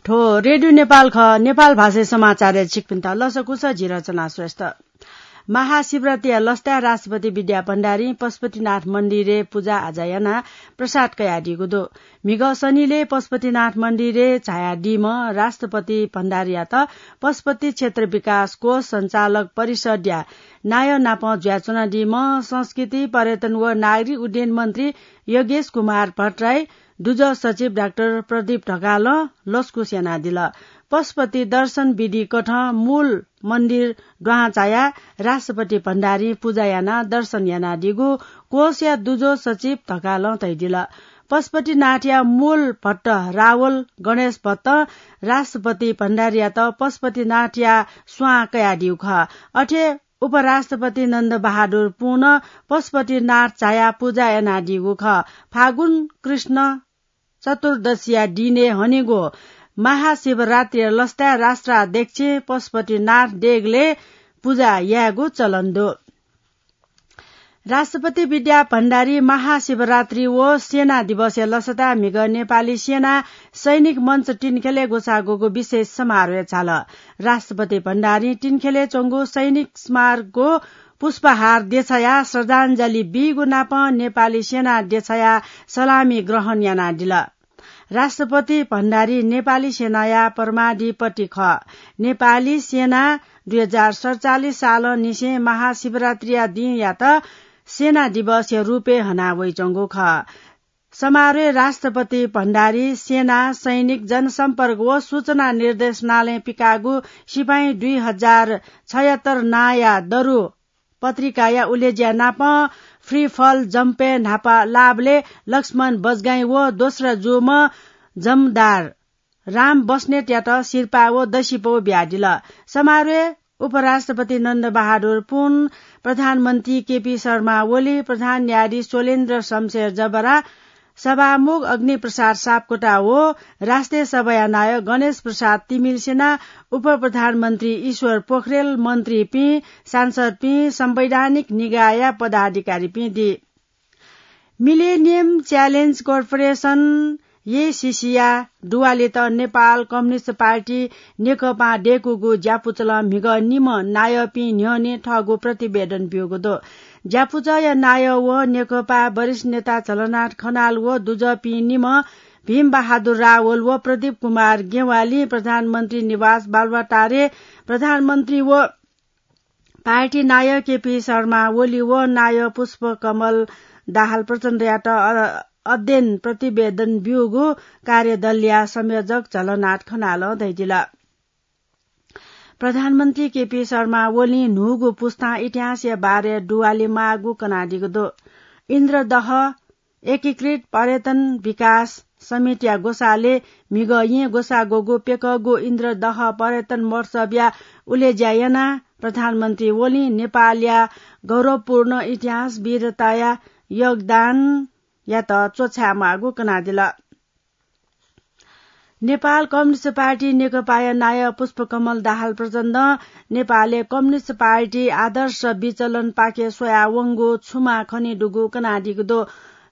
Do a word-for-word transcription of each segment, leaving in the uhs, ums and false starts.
थ्व रेडियो नेपाल खः। नेपाल भाषाय् समाचारय् छिकपिन्त लसकुस, जि रचना श्रेष्ठ। महाशिवरात्रिया लसताय् राष्ट्रपति विद्या भण्डारीं पशुपतिनाथ मन्दिरय् पुजा आजा यानाः प्रसाद कयादीगु दु। म्हिगः शनिलय् पशुपतिनाथ मन्दिरय् झायादीम्ह राष्ट्रपति भण्डारीयात पशुपति क्षेत्र विकास कोष सञ्चालक परिषद्या नायः नाप जुयाच्वनादीम्ह संस्कृति, पर्यटन व नागरिक उड्डयन मन्त्री योगेश कुमार भट्टराई, दुजः सचिव डाक्टर प्रदीप ढकालं लसकुस यानादिल। पशुपति दर्शन विधि कथं मूल मन्दिर दुहां झायाः राष्ट्रपति भण्डारीं पुजा यानाः दर्शन यानादीगु कोषया दुजः सचिव ढकालं धयादिल। पशुपतिनाथया मूल भट्ट रावल गणेश भट्टं राष्ट्रपति भण्डारीयात पशुपतिनाथया स्वां कयादीगु खः। अथे उपराष्ट्रपति नन्द बहादुर पुनं पशुपतिनाथ झायाः पुजा यानादीगु खः। फागुन कृष्ण चतुर्दशीया दिनय् हनेगु महाशिवरात्रिया लसताय् राष्ट्राध्यक्षं पशुपतिनाथ देगलय् पुजा यायेगु चलन दु। राष्ट्रपति विद्या भण्डारी महाशिवरात्रि व सेना दिवसया लसताय् म्हिगः नेपाली सेना सैनिक मञ्च तिनखेलय् ग्वसाः ग्वःगु विशेष समारोहय् झाल। राष्ट्रपति भण्डारीं तिनखेलय् च्वंगु सैनिक स्मारकय् पुष्पहार देछायाः श्रद्धाञ्जली बीगु नापं नेपाली सेना देछायाः सलामी ग्रहण यानादिल। राष्ट्रपति भण्डारी नेपाली सेनाया परमाधिपति खः। नेपाली सेना दुई हजार सतचालिस सालंनिसें महाशिवरात्रिया दिंयात सेना दिवसया रूपय् हना वइच्वंगु खः। समारोहय् राष्ट्रपति भण्डारी सेना, सैनिक, जनसम्पर्क व सूचना निर्देशनालयं पिकाःगु सिपाइँ दुई हजार छयत्तर नांया दरु पत्रिकाया उलेज्या नापं फ्री फल जम्पय् न्हापा लाःबलय् लक्ष्मण बजगाईं व दोस्रा जूम्ह जमदार राम बस्नेतयात सिरपाः व दसिपौ बियादिल। समारोहय् उपराष्ट्रपति नन्द बहादुर पुन, प्रधानमन्त्री केपी शर्मा ओली, प्रधान न्यायाधीश शैलेन्द्र शमशेर जबरा, सभामुख अग्निप्रसाद सापकोटा व राष्ट्रिय सभाया नायः गणेश प्रसाद तिमिल्सिना, उपप्रधानमन्त्री ईश्वर पोखरेल, मन्त्रीपिं, सांसदपिं, संवैधानिक निकायया पदाधिकारीपिं दी। मिलेनियम च्यालेन्ज कर्पोरेसन, एसीसीया दुवालेत नेपाल कम्युनिस्ट पार्टी नेकपां दय्कूगु ज्यापुचलं म्हिगः निम्ह नायःपिं न्ह्यःने थःगु प्रतिवेदन ब्यूगु दु। ज्यापुचःया नायः व नेकपा वरिष्ठ नेता झलनाथ खनाल व दुजःपिं निम्ह भीम बहादुर रावल व प्रदीप कुमार गेवालीं प्रधानमन्त्री निवास बालुवाटारय् प्रधानमन्त्री व पार्टी नायः केपी शर्मा ओली व नायः पुष्पकमल दाहाल प्रचण्डयात अ-, अध्ययन प्रतिवेदन ब्यूगु कार्यदलया संयोजक झलनाथ खनालं धयादिल। प्रधानमन्त्री केपी शर्मा ओलीं न्हूगु पुस्तां इतिहासया बारे दुवाले माःगु कनादीगु दु। इन्द्रदह एकीकृत पर्यटन विकास समितिया ग्वसालय् म्हिगः येँ ग्वसाः ग्वःगु प्यकःगु इन्द्रदह पर्यटन महोत्सवया उलेज्या यानाः प्रधानमन्त्री ओलीं नेपालया गौरवपूर्ण इतिहास वीरताया योगदानयात च्वछाये माःगु कनादिल। नेपाल कम्युनिस्ट पार्टी नेकपाया नायः पुष्पकमल दाहाल प्रचण्डं नेपालय् कम्युनिस्ट पार्टी आदर्श विचलनपाखे स्वयावंगु छुमा खनेदुगु कनादीगु दु।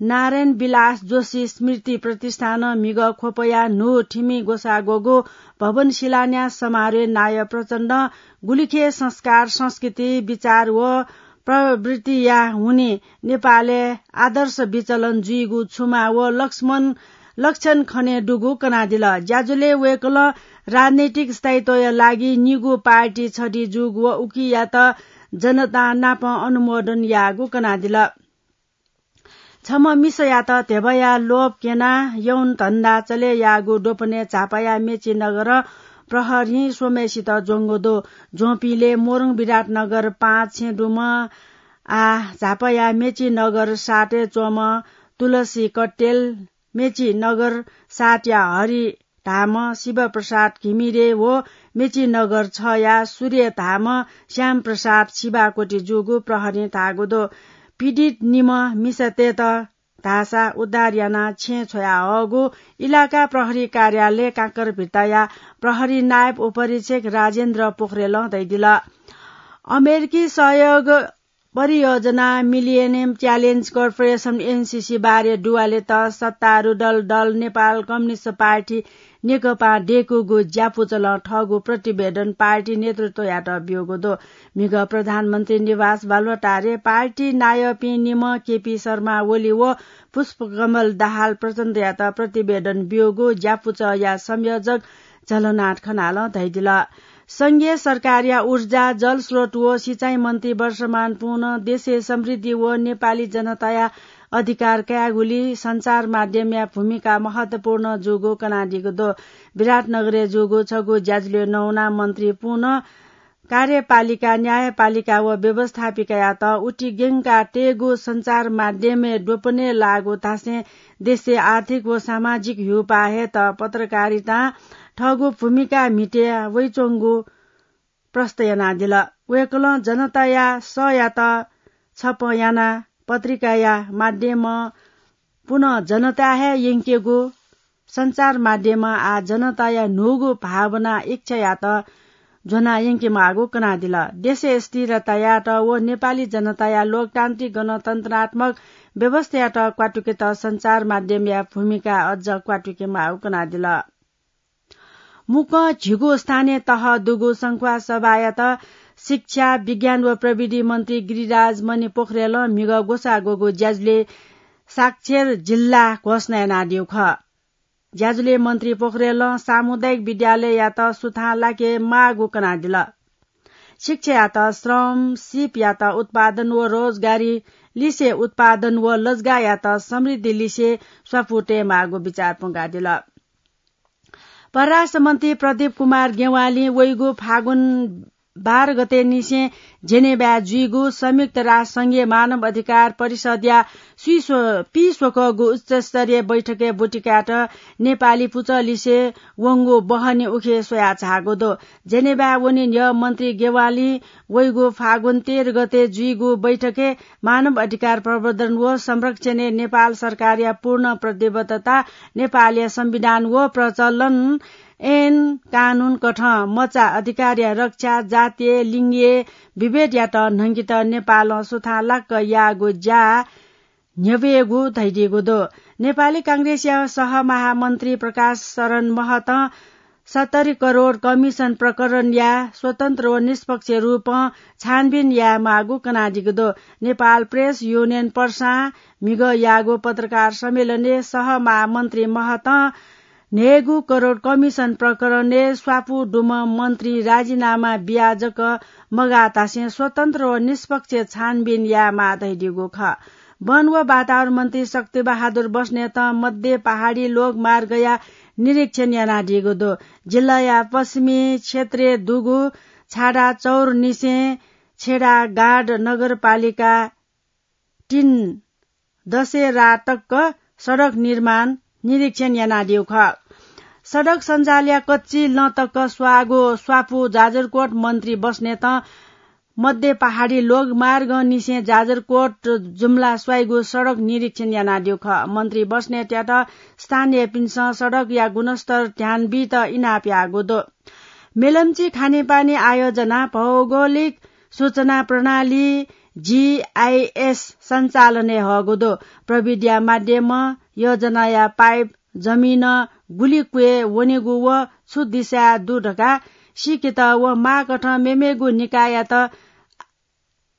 नारायण विलास जोशी स्मृति प्रतिष्ठानं म्हिगः ख्वपया न्हू थिमि ग्वसाः ग्वःगु भवन शिलान्यास समारोहय् नायः प्रचण्डं गुलिखे संस्कार, संस्कृति, विचार व प्रवृत्तिया हुनिं नेपालय् आदर्श विचलन जुइगु छुमा व लक्ष्मण लक्षण खनेदुगु कनादिल। ज्याझ्वलय् वय्कलं राजनैतिक स्थायित्वया लागि निगू पार्टी छधी जूगु व उकियात जनतां नापं अनुमोदन याःगु कनादिल। छम्ह मिसायात ध्यबाया लोभ क्यनाः यौन धन्दा चले याःगु द्वपनय् झापाया मेची नगरं प्रहरीं स्वम्हय्सित ज्वंगु दु। ज्वंपिंलय् मोरङ विराटनगर पाँच छेँ दुम्ह, आः झापाया मेची नगर सातय् च्वंम्ह तुलसी कट्टेल, मेची नगर सातया हरि धाःम्ह शिवप्रसाद घिमिरे व मेची नगर छया सूर्य धाःम्ह श्यामप्रसाद शिवाकोटी जूगु प्रहरीं धाःगु दु। पीडित निम्ह मिसातय्त धाःसा उद्धार यानाः छेँय् छ्वयाहःगु इलाका प्रहरी कार्यालय काँकरभिट्टाया प्रहरी नायब उपरीक्षक राजेन्द्र पोखरेलं धयादिल। अमेरिकी सहयोग परियोजना मिलिनियम च्यालेन्ज कर्पोरेसन, एनसीसी, बारे दुवालेत सत्तारूढ दल, दल नेपाल कम्युनिस्ट पार्टी नेकपां दय्कूगु ज्यापुचलं थःगु प्रतिवेदन पार्टी नेतृत्वयात ब्यूगु दु। म्हिगः प्रधानमन्त्री निवास बालुवाटारय् पार्टी नायःपिं निम्ह केपी शर्मा ओली व पुष्पकमल दाहाल प्रचण्डयात प्रतिवेदन ब्यूगु ज्यापुचःया संयोजक झलनाथ खनालं धयादिल। संघीय सरकारया ऊर्जा, जलस्रोत व सिँचाइ मन्त्री वर्षमान पुनं देशय् समृद्धि व नेपाली जनताया अधिकार कायेगुली सञ्चार माध्यमया भूमिका महत्वपूर्ण जूगु कनादीगु दु। विराटनगरय् जूगु छगू ज्याझ्वलय् नवानाः मन्त्री पुनं कार्यपालिका, न्यायपालिका व व्यवस्थापिकायात उतिग्यंका तयेगु सञ्चार माध्यमय् द्वपनय् लाःगु धासें देशय् आर्थिक व सामाजिक ह्यूपाः हयेत पत्रकारितां थःगु भूमिका म्हिते वइच्वंगु प्रष्ट यानादिल। वय्कलं जनताया सःयात छपँ यानाः पत्रिकाया माध्यमं पुनं जनताय् हे यंकेगु सञ्चार माध्यमं आः जनताया न्हूगु भावना इच्छायात ज्वना यंकेमाःगु कनादिल। देशय् स्थिरतायात व नेपाली जनताया लोकतान्त्रिक गणतन्त्रात्मक व्यवस्थायात क्वातुकेत सञ्चार माध्यमया भूमिका अझ क्वातुकेमाःगु कनादिल। मुक्कं झिगू स्थानीय तह दुगु संख्वा सभायात शिक्षा, विज्ञान व प्रविधि मन्त्री गिरिराज मणि पोखरेलं म्हिगः ग्वसाः ग्वःगु ज्याझ्वलय् साक्षर जिल्ला घोषणा यानादीगु खः। ज्याझ्वलय् मन्त्री पोखरेलं सामुदायिक विद्यालययात सुथां लाकेमाःगु कनादिल। शिक्षायात श्रम, सिपयात उत्पादन व रोजगारी लिसे उत्पादन व लजगाःयात समृद्धि लिसे स्वापू तयेमाःगु बिचाः प्वंकादिल। परराष्ट्र मन्त्री प्रदीप कुमार गेवालीं वइगु फागुन बाह्र गते निसें जेनेभाय् जुइगु संयुक्त राष्ट्र संघीय मानव अधिकार परिषदया स्वीस्व-, पीस्वकःगु उच्चस्तरीय बैठकय् ब्वति कायेत नेपाली पुचः लिसे वंगु बहनी उखे स्वयाः झाःगु दु। जेनेभाय् वने न्ह्यः मन्त्री गेवालीं वइगु फागुन तेह्र गते जुइगु बैठकय् मानव अधिकार प्रवर्धन व संरक्षणय् नेपाल सरकारया पूर्ण प्रतिबद्धता, नेपालया संविधान व प्रचलन ऐन कानून कथं मचा अधिकारया रक्षा, जातीय, लिङ्गीय विभेदयात न्हंकेत नेपालं सुथां लाक्क याःगु ज्या न्ह्यब्वयेगु धयादीगु दु। नेपाली कांग्रेसया सहमहामन्त्री प्रकाश शरण महतं सत्तरी करोड कमिसन प्रकरणया स्वतन्त्र व निष्पक्ष रूपं छानबिन यायेमाःगु कनादीगु दु। नेपाल प्रेस युनियन पर्सां म्हिगः याःगु पत्रकार सम्मेलनय् सहमहामन्त्री महतं न्हय्गू करोड कमिसन प्रकरणय् स्वापू दुम्ह मन्त्री राजीनामा बियाः जक मगाः धासें स्वतन्त्र व निष्पक्ष छानबिन यायेमाः धयादीगु खः। वन व वातावरण मन्त्री शक्तिबहादुर बस्नेतं मध्य पहाडी लोकमार्गया निरीक्षण यानादीगु दु। जिल्लाया पश्चिमी क्षेत्रय् दुगु छाडा चौर निसें छेडागाड नगरपालिका तीन दशहरा तक सडक निर्माण निरीक्षण यानादीगु खः। सडक सञ्जालया कच्ची लँ तक स्वाःगु स्वापू जाजरकोट मन्त्री बस्नेतं मध्य पहाडी लोकमार्ग निसें जाजरकोट जुम्ला स्वाइगु सडक निरीक्षण यानादीगु खः। मन्त्री बस्नेतयात स्थानीयपिन्सं सडकया गुणस्तर ध्यान बीत इनाप याःगु दु। मेलम्ची खानेपानी आयोजना भौगोलिक सूचना प्रणाली, जीआईएस, सञ्चालनय् हःगु दु। प्रविधिया माध्यमं योजनाया पाइप जमिनं गुलि क्वय् वनेगु व छु दिशाय् दु धकाः सीकेत व माःकथं मेमेगु निकाययात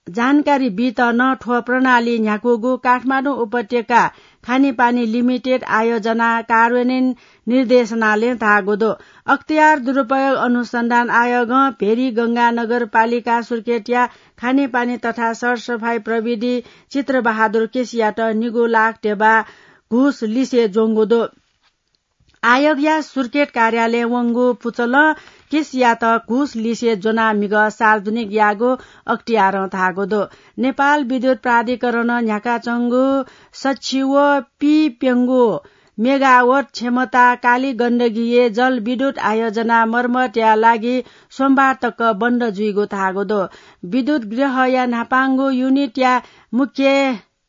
जानकारी बीत नं थ्व प्रणाली न्ह्याकूगु काठमाडौं उपत्यका खानेपानी लिमिटेड आयोजना कार्यान्वयन निर्देशनालयं धाःगु दु। अख्तियार दुरुपयोग अनुसन्धान आयोगं भेरी गंगा नगरपालिका सुर्खेतया खानेपानी तथा सरसफाई प्रविधि चित्रबहादुर केसीयात निगू लाख ध्यबा घुस लिसे ज्वंगु दु। आयोगया सुर्खेत कार्यालयं वंगु पुचलं केसीयात घुस लिसे ज्वनाः म्हिगः सार्वजनिक याःगु अख्तियारं धाःगु दु। नेपाल विद्युत प्राधिकरणं न्ह्याकाच्वंगु सछि व पीप्यंगू मेगावाट क्षमता काली गण्डकीया जलविद्युत आयोजना मर्मतया लागि सोमबार तक बन्द जुइगु धाःगु दु। विद्युत गृहया न्हापांगु युनिटया मुख्य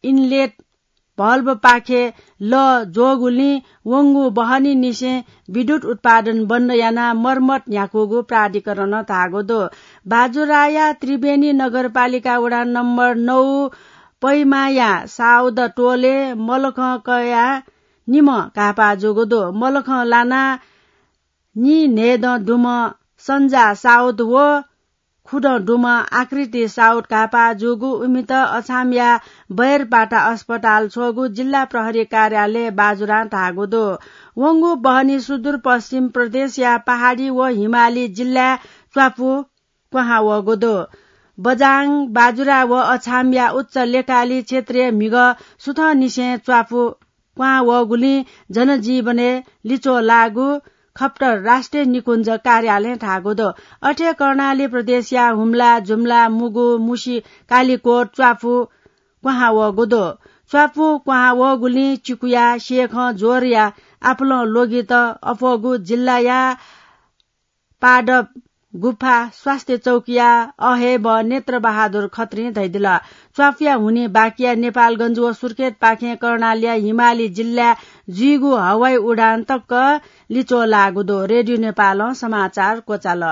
इनलेट भल्भपाखे लः ज्वःगुलिं वंगु बहनी निसें विद्युत उत्पादन बन्द यानाः मर्मत न्ह्याकूगु प्राधिकरणं धाःगु दु। बाजुराया त्रिवेणी नगरपालिका वडा नम्बर नौ पैमाया साउद टोलय् मलखं कयाः निम्ह घाःपाः जूगु दु। मलखं लानाः नीन्हय्दँ दुम्ह सन्जा साउद व खुदँ दुम्ह आकृति साउद घाःपाः जूगु उमित अछामया बैरपाटा अस्पताल छ्वःगु जिल्ला प्रहरी कार्यालय बाजुरां धाःगु दु। वंगु बहनी सुदूरपश्चिम प्रदेशया पहाडी व हिमाली जिल्लाय् च्वापु क्वहां वःगु दु। बजाङ, बाजुरा व अछामया उच्च लेकाली क्षेत्रय् म्हिगः सुथंनिसें च्वापु क्वहां वःगुलिं जनजीवनय् लिच्वः लाःगु खप्टर राष्ट्रिय निकुञ्ज कार्यालयं धाःगु दु। अथे कर्णाली प्रदेशया हुम्ला, जुम्ला, मुगु, मुसी, कालिकोट च्वापु क्वहां वःगु दु। च्वापु क्वहां वःगुलिं चिकुया, सेखं, ज्वरया आपालं ल्वगित अप्वःगु जिल्लाया पादप गुफा स्वास्थ्य चौकीया अहय्ब नेत्र बहादुर खत्रीं धयादिल। च्वापुया हुनिं बाकिया नेपालगञ्ज व सुर्खेतपाखें कर्णालीया हिमाली जिल्लाय् जुइगु हवाई उडान तक लिच्वः लाःगु दु। रेडियो नेपालं समाचार क्वचाल।